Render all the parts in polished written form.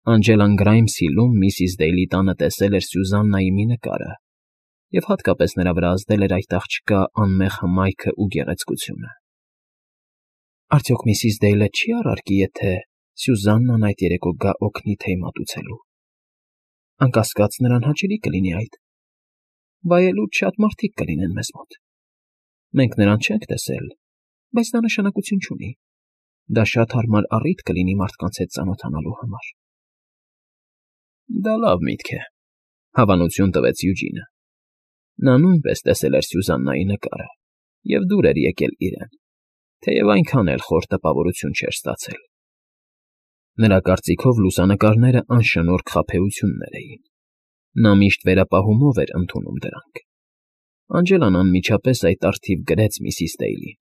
Անջելան Գրայմսիլում Միսիս Դեյլի տանը տեսել էր Սյուզաննայի մի նկարը և հատկապես նրա վրա ազդել էր այդ աղջկա անմեղ հմայքը ու գեղեցկությունը։ Արդյոք Միսիս Դեյլը չի՞ առարկի, եթե Սյուզաննան այդ երեկո գա օգնի թեյ մատուցելու։ Անկասկած, նրան հաճելի կլինի այդ։ Վայելուր շատ մարդիկ կլինեն մեզ մոտ։ Մենք նրան չենք տեսել, բայց դա նշանակություն չունի։ Դա շատ հարմար առիթ կլինի մարդկանց հետ ծանոթանալու համար։ Դա լավ միտք է, հավանություն տվեց Յուջինը։ Նա նույնպես տեսել էր Սյուզաննայի նկարը և դուր էր եկել իրեն, թեև այնքան էլ խոր տպավորություն չէր ստացել։ Նրա կարծիքով լուսանկարները անշնորհք խաբեություններ էին։ Նա միշտ վերապահումով էր ընդունում դրանք։ Անջելան անմիջապես այդ առթիվ գրեց Միսիս Դեյլին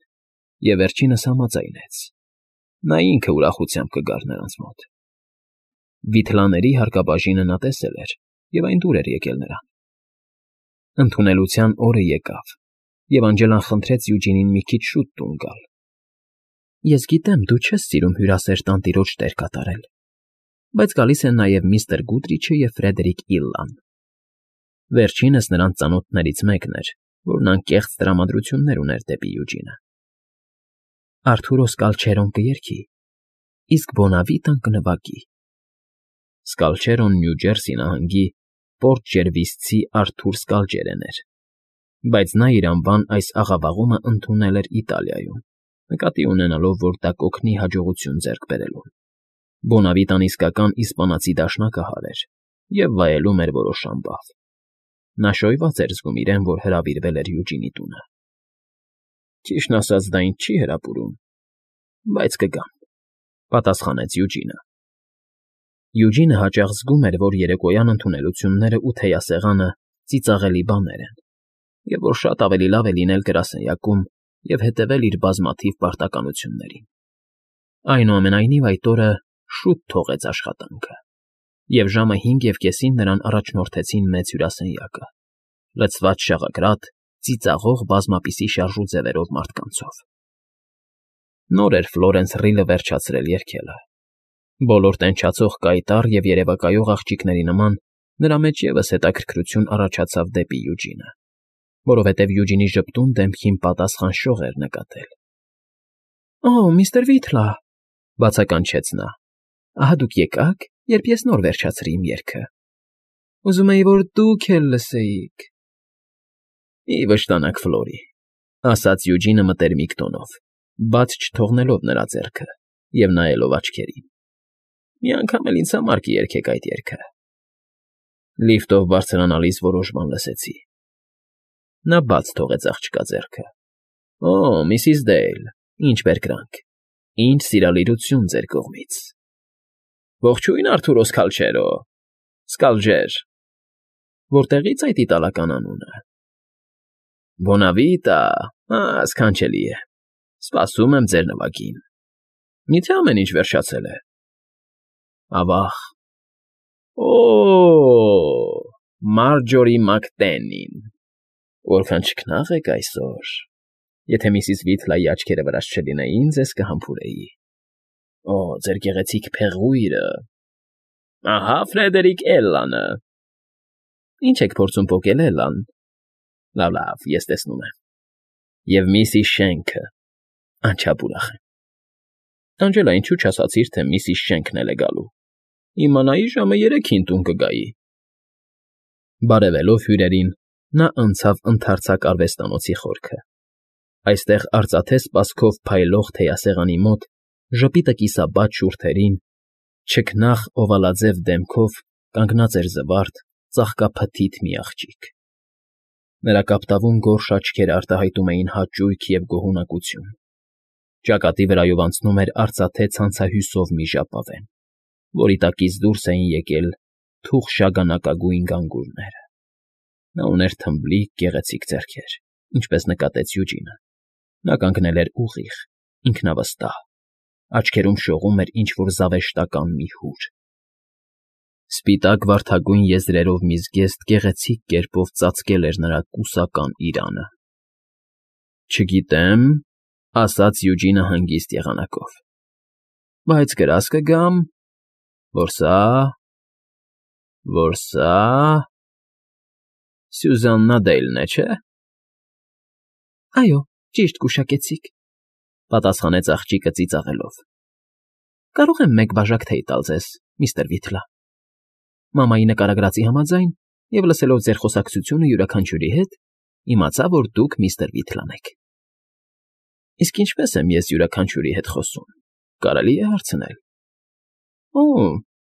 և վերջինս համաձայնեց։ Նա ինքը ուրախությամբ կգար նրանց մոտ։ Վիթլաների հարկաբաժինը նա տեսել էր, և այն դուր էր եկել նրան։ Ընդունելության օրը եկավ, և Անջելան խնդրեց Յուջինին մի քիչ շուտ տուն գալ։ Ես գիտեմ, դու չես սիրում հյուրասեր տանտիրոջ տեր կատարել, բայց գալիս են նաև միստր Գուդրիչը և Ֆրեդերիկ Իլլան։ Վերջինս նրանց ծանոթներից մեկն էր, որն անկեղծ տրամադրություններ ուներ դեպի Յուջինը։ Արթուրո Սկալչերոն կերկի, իսկ Բոնավիտան կնվագի։ Սկալչերոն Նյու Ջերսի նահանգի Պորտ Ջերվիսցի Արթուր Սկալջերեն էր, բայց նա իր անվան այս աղավաղումը ընդունել էր Իտալիայում, նկատի ունենալով, որ դա կօգնի հաջողություն ձեռք բերելուն։ Բոնավիտան իսկական իսպանացի դաշնակահար էր և վայելում էր որոշ ամբավ։ Նա շոյված էր զգում իրեն, որ հրավիրվել էր Յուջինի տունը։ Ճիշտն ասած, դա ինձ չի հրապուրում, բայց կգամ, պատասխանեց Յուջինը։ Յուջինը հաճախ զգում էր, որ երեկոյան ընդունելությունները ու թեյասեղանը ծիծաղելի բաներ են, և որ շատ ավելի լավ է լինել գրասենյակում և հետևել իր բազմաթիվ պարտականություններին։ Այնուամենայնիվ այդ օրը շուտ թողեց աշխատանքը, և ժամը 5:30-ին նրան առաջնորդեցին մեծ հյուրասենյակը, լցված շաղակրատ, ծիծաղող բազմապիսի շարժուձևերով մարդկանցով։ Նոր էր Ֆլորենս Ռիլը վերջացրել երգելը։ Բոլոր տենչացող կայտառ և երևակայող աղջիկների նման նրա մեջ ևս հետաքրքրություն առաջացավ դեպի Յուջինը, որովհետև Յուջինի ժպտուն դեմքին պատասխան շող էր նկատել։ Օ, միստր Վիթլա, բացականչեց նա, ահա դուք եկաք, երբ ես նոր վերջացրի իմ երգը։ Ուզում էի, որ դուք էլ լսեիք։ Մի վշտանակ, Ֆլորի, ասաց Յուջինը մտերմիկ տոնով, բաց չթողնելով նրա ձեռքը և նայելով աչքերին։ Մի անգամ էլ ինձ համար կերգեք այդ երգը։ Լիֆտով բարձրանալիս որոշ բան լսեցի։ Նա բաց թողեց աղջկա ձեռքը։ Օ, Միսիս Դեյլ, ինչ բերկրանք, ինչ սիրալիրություն ձեր կողմից։ Ողջույն, Արթուրո Սկալչերո, Սկալջեր։ Որտեղի՞ց այդ իտալական անունը։ Բոնավիտա, սքանչելի է։ Սպասում եմ ձեր նվագին։ Միթե ամեն ինչ վերջացել է։ Ավա՜ղ։ Օ, Մարջորի Մակտենին, որքան չքնաղ եք այսօր։ Եթե միսիս Վիթլայի աչքերը վրաս չլինեին, ձեզ կհամբուրեի։ Օ, ձեր գեղեցիկ փեղույրը։ Ահա Ֆրեդերիկ Էլլանը։ Ինչ եք փորձում պոկել, Էլլան։ Լավ, ես տեսնում եմ։ Եվ միսիս Շենքը։ Անչափ ուրախ եմ։ Անջելա, ինչու չասացիր, թե միսիս Շենքն էլ է գալու։ Իմանայի ժամը 3-ին տուն կգայի։ Բարևելով հյուրերին, նա անցավ ընդարձակ արվեստանոցի խորքը։ Այստեղ արծաթե սպասքով փայլող թեյասեղանի մոտ, ժպիտը կիսաբաց շուրթերին, չքնաղ օվալաձև դեմքով կանգնած էր զվարթ, ծաղկափթիթ մի աղջիկ։ Նրա կապտավուն գորշ աչքերը արտահայտում էին հաճույք և գոհունակություն։ Ճակատի վրայով անցնում էր արծաթե ցանցահյուսով մի ժապավեն, որի տակից դուրս էին եկել թուխ շագանակագույն գանգուրները։ Նա ուներ թմբլիկ, գեղեցիկ ձեռքեր, ինչպես նկատեց Յուջինը։ Նա կանգնել էր ուղիղ, ինքնավստահ, աչքերում շողում էր ինչ֊որ զավեշտական մի հուր։ Սպիտակ վարդագույն եզրերով մի զգեստ գեղեցիկ կերպով ծածկել էր նրա կուսական իրանը։ Չգիտեմ, ասաց Յուջինը հանգիստ եղանակով, բայց գրազ կգամ։ Որ սա… Սյուզաննա Դեյլն է, չէ՞։ Այո, ճիշտ գուշակեցիք,֊ պատասխանեց աղջիկը ծիծաղելով։ Կարող եմ մեկ բաժակ թեյ տալ ձեզ, միստր Վիթլա։ Մամայի նկարագրածի համաձայն և լսելով ձեր խոսակցությունը յուրաքանչյուրի հետ, իմացա, որ դուք միստր Վիթլան եք։ Իսկ ինչպե՞ս եմ ես յուրաքանչյուրի հետ խոսում, կարելի է հարցնել։ Օ,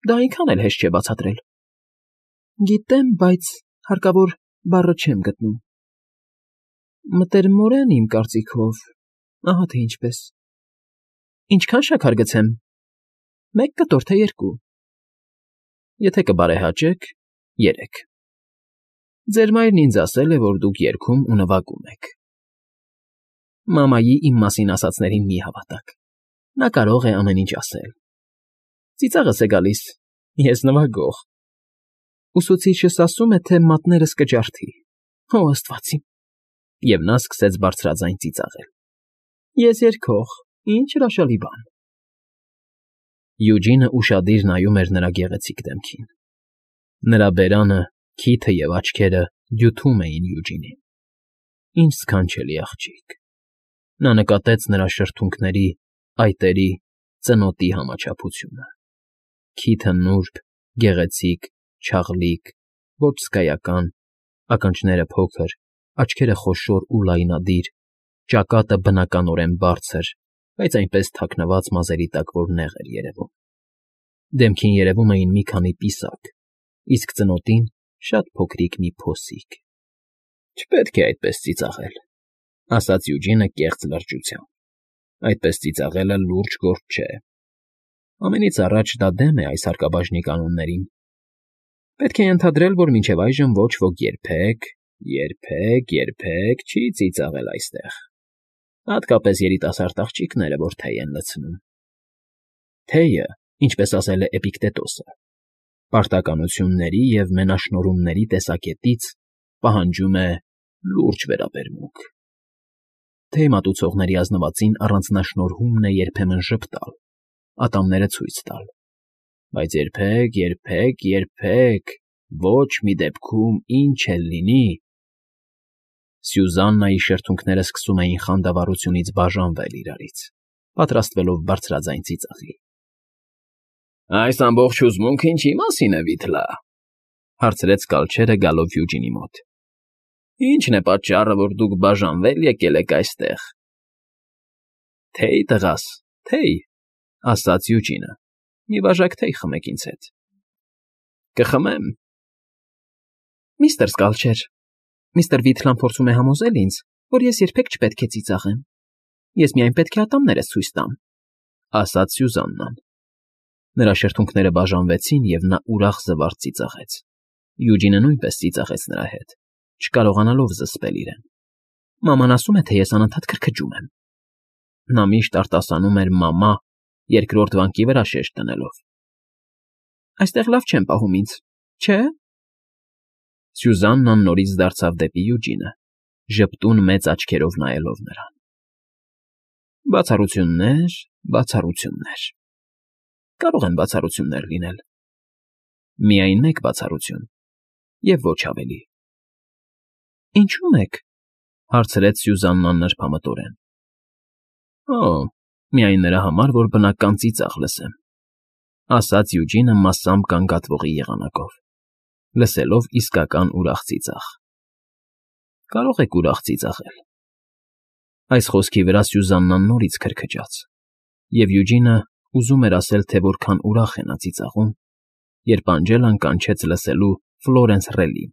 դա այնքան էլ հեշտ չէ բացատրել։ Գիտեմ, բայց հարկավոր բառը չեմ գտնում։ Մտերմորեն, իմ կարծիքով, ահա թե ինչպես։ Ինչքան շաքար գցեմ։ 1 կտոր, թե 2։ Եթե կբարեհաճեք, 3։ Ձեր մայրն ինձ ասել է, որ դուք երգում ու նվագում եք։ Մամայի իմ մասին ասածներին մի հավատաք։ Նա կարող է ամեն ինչ ասել։ Ծիծաղս է գալիս, ես նվագող։ Ուսուցիչս ասում է, թե մատներս կջարդի։ Օ, աստված իմ։ Եվ նա սկսեց բարձրաձայն ծիծաղել։ Ես երգող, ինչ հրաշալի բան։ Յուջինը ուշադիր նայում էր նրա գեղեցիկ դեմքին։ Նրա բերանը, քիթը և աչքերը դյութում էին Յուջինին։ Ինչ սքանչելի աղջիկ։ Նա նկատեց նրա շրթունքների, այտերի, ծնոտի համաչափությունը։ Քիթը նուրբ, գեղեցիկ, չաղլիկ, ոչ հսկայական, ականջները փոքր, աչքերը խոշոր ու լայնադիր, ճակատը բնականորեն բարձր, բայց այնպես թաքնված մազերի տակ, որ նեղ էր երևում։ Դեմքին երևում էին մի քանի պիսակ, իսկ ծնոտին շատ փոքրիկ մի փոսիկ։ Չպետք է այդպես ծիծաղել, ասաց Յուջինը կեղծ լրջությամբ։ Այդպես ծիծաղելը լուրջ գործ չէ։ Ամենից առաջ դա դեմ է այս հարկաբաժնի կանոններին։ Պետք է ենթադրել, որ մինչև այժմ ոչ ոք երբեք չի ծիծաղել այստեղ։ Հատկապես երիտասարդ աղջիկները, որ թեյ են լցնում։ Թեյը, ինչպես ասել է Էպիկտետոսը, պարտականությունների և մենաշնորհումների տեսակետից պահանջում է լուրջ վերաբերմունք։ Թեյ մատուցողների ազնվածին առանձնաշնորհումն է երբեմն ժպտալ, ատամները ցույց տալ, բայց երբեք, ոչ մի դեպքում ինչ էլ լինի… Սյուզաննայի շրթունքները սկսում էին խանդավառությունից բաժանվել իրարից, պատրաստվելով բարձրաձայն ծիծաղի։ Այս ամբողջ հուզմունքը ինչի՞ մասին է, Վիթլա,֊ հարցրեց կալչերը գալով Յուջինի մոտ։ Ի՞նչն է պատճառը, որ դուք բաժանվել եկել եք այստեղ։ Թեյ, տղաս, թեյ, ասաց Յուջինը, մի բաժակ թեյ խմեք ինձ հետ։ Կխմեմ։ Միստր Սկալչեր, միստր Վիթլան փորձում է համոզել ինձ, որ ես երբեք չպետք է ծիծաղեմ։ Ես միայն պետք է ատամներս ցույց տամ, ասաց Սյուզաննան։ Նրա շրթունքները բաժանվեցին, և նա ուրախ զվարթ ծիծաղեց։ Յուջինը նույնպես ծիծաղեց նրա հետ, չկարողանալով զսպել իրեն։ Մաման ասում է, թե ես անընդհատ քրքջում եմ։ Նա միշտ արտասանում էր մամա, երկրորդ վանկի վրա շեշտ դնելով։ Այստեղ լավ չեն պահում ինձ, չէ՞։ Սյուզաննան նորից դարձավ դեպի Յուջինը, ժպտուն մեծ աչքերով նայելով նրան։ Բացառություններ… Կարող են բացառություններ լինել։ Միայն մեկ բացառություն, և ոչ ավելի։ Ինչու՞ մեկ, հարցրեց Սյուզաննան նրբամտորեն։ Օ, միայն նրա համար, որ բնական ծիծաղ լսեմ, ասաց Յուջինը մասամբ գանգատվողի եղանակով, լսելով իսկական ուրախ ծիծաղ։ Կարող եք ուրախ ծիծաղել։ Այս խոսքի վրա Սյուզաննան նորից քրքջաց, և Յուջինը ուզում էր ասել, թե որքան ուրախ է նա ծիծաղում, երբ Անջելան կանչեց լսելու Ֆլորենս Ռելին,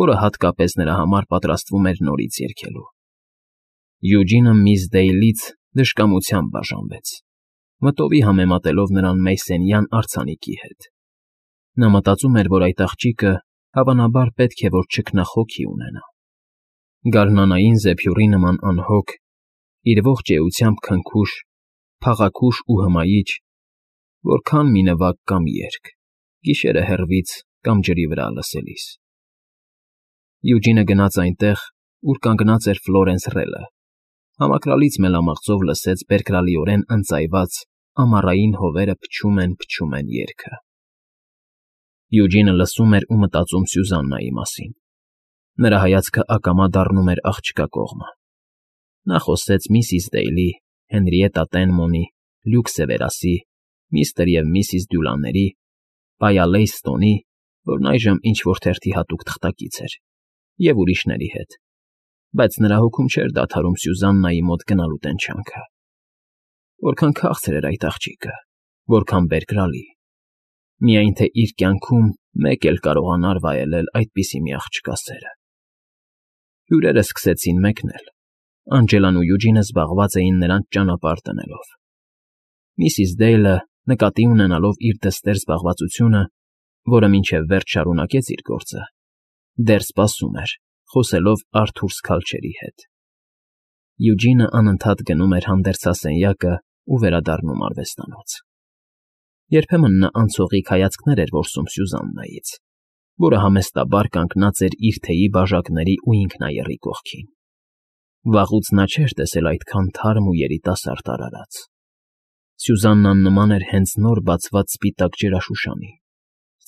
որը հատկապես նրա համար պատրաստվում էր նորից երգելու։ Յուջինը միս Դեյլից դժկամությամբ բաժանվեց, մտովի համեմատելով նրան Մեյսենյան արձանիկի հետ։ Նա մտածում էր, որ այդ աղջիկը հավանաբար պետք է որ չքնախոքի ունենա։ Գարնանային զեփյուռի նման անհոգ, իր ողջ էությամբ քնքուշ, փաղաքուշ ու հմայիչ, որքան մի նվագ կամ երգ, գիշերը հեռվից կամ ջրի վրա լսելիս։ Յուջինը գնաց այնտեղ, ուր կանգնած էր Ֆլորենս Ռելը, համակրալից մելամաղձով լսեց բերկրալիորեն ընծայված ամառային հովերը փչում են երգը։ Յուջինը լսում էր ու մտածում Սյուզաննայի մասին։ Նրա հայացքը ակամա դառնում էր աղջկա կողմը։ Նա խոսեց միսիս Դեյլի, Հենրիետտա Տենմոնի, Լյուկ Սևերասի, միստր և միսիս Դյուլանների, պայա Լեյսթոնի, որն այժմ ինչ֊որ թերթի հատուկ թղթակից էր, և ուրիշների հետ, բայց նրա հոգում չէր դադարում Սյուզաննայի մոտ գնալու տենչանքը։ Որքան քաղցր էր այդ աղջիկը, որքան բերկրալի, միայն թե իր կյանքում մեկ էլ կարողանար վայելել այդպիսի մի աղջկա սերը։ Հյուրերն սկսեցին մեկնել։ Անջելան ու Յուջինը զբաղված էին նրանց ճանապարհ դնելով։ Միսիս Դեյլը, նկատի ունենալով իր դստեր զբաղվածությունը, որը մինչև վերջ շարունակեց իր գործը, դեռ սպասում էր, խոսելով Արթուր Սքալչերի հետ։ Յուջինը անընդհատ գնում էր հանդերձասենյակը ու վերադառնում արվեստանոց։ Երբեմն նա անցողիկ հայացքներ էր որսում Սյուզաննայից, որը համեստաբար կանգնած էր իր թեյի բաժակների ու ինքնաեռի կողքին։ Վաղուց նա չէր տեսել այդքան թարմ ու երիտասարդ արարած։ Սյուզաննան նման էր հենց նոր բացված սպիտակ ջրաշուշանի,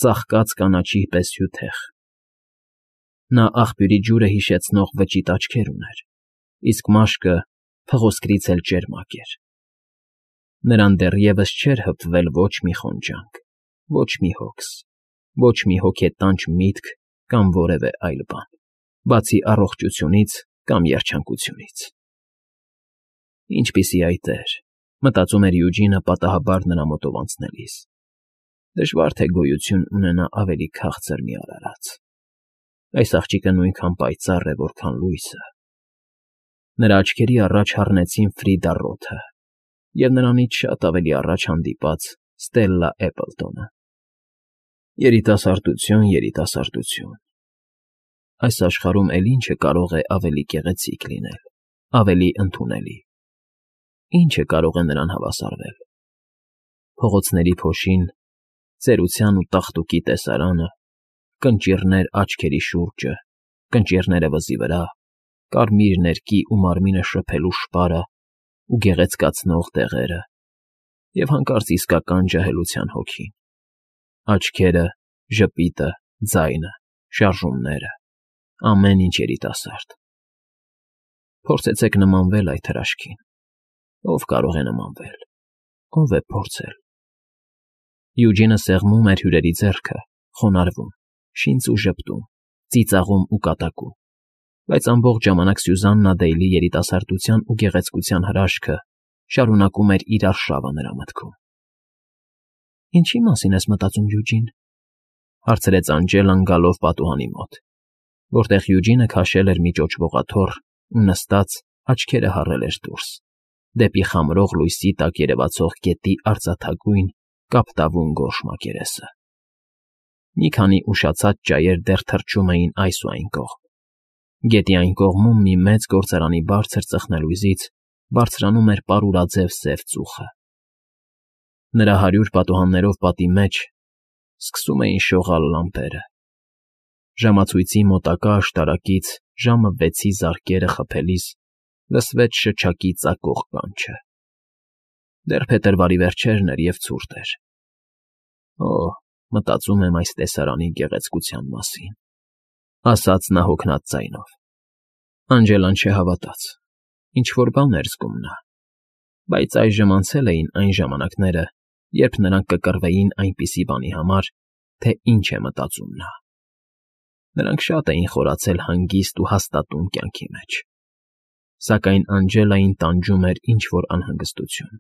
ծաղկած կանաչի պես հյութեղ։ Նա աղբյուրի ջուրը հիշեցնող վճիտ աչքեր ուներ, իսկ մաշկը փղոսկրից էլ ճերմակ էր։ Նրան դեռևս չէր հպվել ոչ մի խոնջանք, ոչ մի հոգս, ոչ մի հոգետանչ միտք կամ որևէ այլ բան, բացի առողջությունից կամ երջանկությունից։ Ինչպիսի այ տեր, մտածում էր Յուջինը պատահաբար նրա մոտով անցնելիս։ Դժվար թե գոյություն ունենա ավելի քաղցր մի արարած։ Այս աղջիկը նույնքան պայծառ է, որքան լույսը։ Նրա աչքերի առաջ հառնեցին Ֆրիդա Ռոթը և նրանից շատ ավելի առաջ հանդիպած Ստելլա Էպլտոնը։ Երիտասարդություն, երիտասարդություն… Այս աշխարհում էլ ինչը կարող է ավելի գեղեցիկ լինել, ավելի ընդունելի… Ինչը կարող է նրան հավասարվել… Փողոցների փոշին, ծերության ու տաղտուկի տեսարանը, կնճիռներ աչքերի շուրջը, կնճիռները վզի վրա, կարմիր ներկի ու մարմինը շփելու շպարը ու գեղեցկացնող դեղերը, և հանկարծ իսկական ջահելության հոգին… Աչքերը, ժպիտը, ձայնը, շարժումները… ամեն ինչ երիտասարդ… Փորձեցեք նմանվել այդ հրաշքին… Ո՞վ կարող է նմանվել… Ո՞վ է փորձել… Յուջինը սեղմում էր հյուրերի ձեռքը, խոնարհվում, շինց ու ժպտում, ծիծաղում ու կատակում, բայց ամբողջ ժամանակ Սյուզաննա Դեյլի երիտասարդության ու գեղեցկության հրաշքը շարունակում էր իր արշավը նրա մտքում։ «Ինչի՞ մասին ես մտածում, Յուջին,֊ հարցրեց Անջելան գալով պատուհանի մոտ, որտեղ Յուջինը քաշել էր մի ճոճվողաթոռ ու նստած, աչքերը հառել էր դուրս, դեպի խամրող լույսի տակ երևացող գետի արծաթագույն, կապտավուն գորշ մակերեսը։ Մի քանի ուշացած ճայեր դեռ թռչում էին այս ու այն կողմ։ Գետի այն կողմում մի մեծ գործարանի բարձր ծխնելույզից բարձրանում էր պարուրաձև սև ծուխը։ Նրա 100 պատուհաններով պատի մեջ սկսում էին շողալ լամպերը։ Ժամացույցի մոտակա աշտարակից ժամը 6-ի զարկերը խփելիս լսվեց շչակի ծակող կանչը։ Դեռ փետրվարի վերջերն էր և ցուրտ էր։ «Օ՜, մտածում եմ այս տեսարանի գեղեցկության մասին,֊ ասաց նա հոգնած ձայնով։ Անջելան չհավատաց։ Ինչ֊որ բան էր զգում նա։ Բայց այժմ անցել էին այն ժամանակները, երբ նրանք կկռվեին այնպիսի բանի համար, թե ինչ է մտածում նա։ Նրանք շատ էին խորացել հանգիստ ու հաստատուն կյանքի մեջ։ Սակայն Անջելային տանջում էր ինչ֊որ անհանգստություն։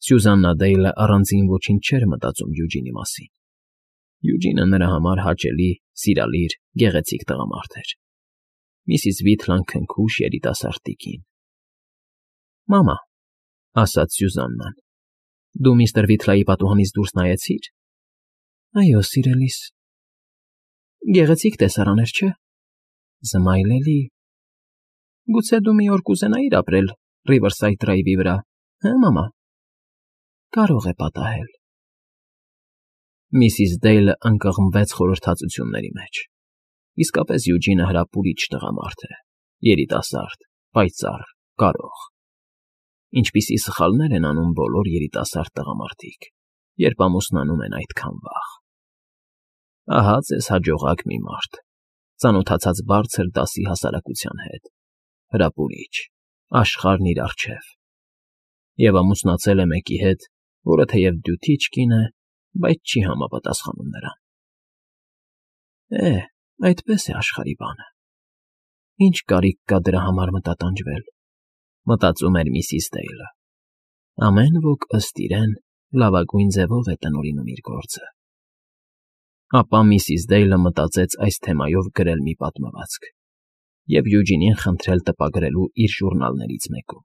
Սյուզաննա Դեյլը առանձին ոչինչ չէր մտածում Յուջինի մասին։ Յուջինը նրա համար հաճելի, սիրալիր, գեղեցիկ տղամարդ էր։ Միսիս Վիթլան քնքուշ երիտասարդ տիկին։ «Մամա,֊ ասաց Սյուզաննան,֊ դու միստր Վիթլայի պատուհանից դուրս նայեցի՞ր»։ «Այո, սիրելիս»։ «Գեղեցիկ տեսարան էր, չէ՞։ Զմայլելի… Գուցե դու մի օր կուզենայի՞ր ապրել Ռիվերսայդ Դրայվի վրա, հը՞, մամա։ Կարող է պատահել»։ Միսիս Դեյլը ընկղմվեց խորհրդածությունների մեջ։ Իսկապես Յուջինը հրապուրիչ տղամարդ է, երիտասարդ, պայծառ, կարող։ ինչպիսի սխալներ են անում բոլոր երիտասարդ տղամարդիկ, երբ ամուսնանում են այդքան վաղ։ Ահա ձեզ հաջողակ մի մարդ, ծանոթացած բարձր դասի հասարակության հետ, հրապուրիչ, աշխարհն իր առջև, և ամուսնացել է մեկի հետ, որը թեև դյութիչ կին է, բայց չի համապատասխանում նրան։ Այդպես է աշխարհի բանը։ Ինչ կարիք կա դրա համար մտատանջվել, մտածում էր միսիս Դեյլը։ Ամեն ոք ըստ իրեն լավագույն ձևով է տնօրինում իր գործը։ Ապա միսիս Դեյլը մտածեց այս թեմայով գրել մի պատմվածք և Յուջինին խնդրել տպագրելու իր ժուռնալներից մեկում։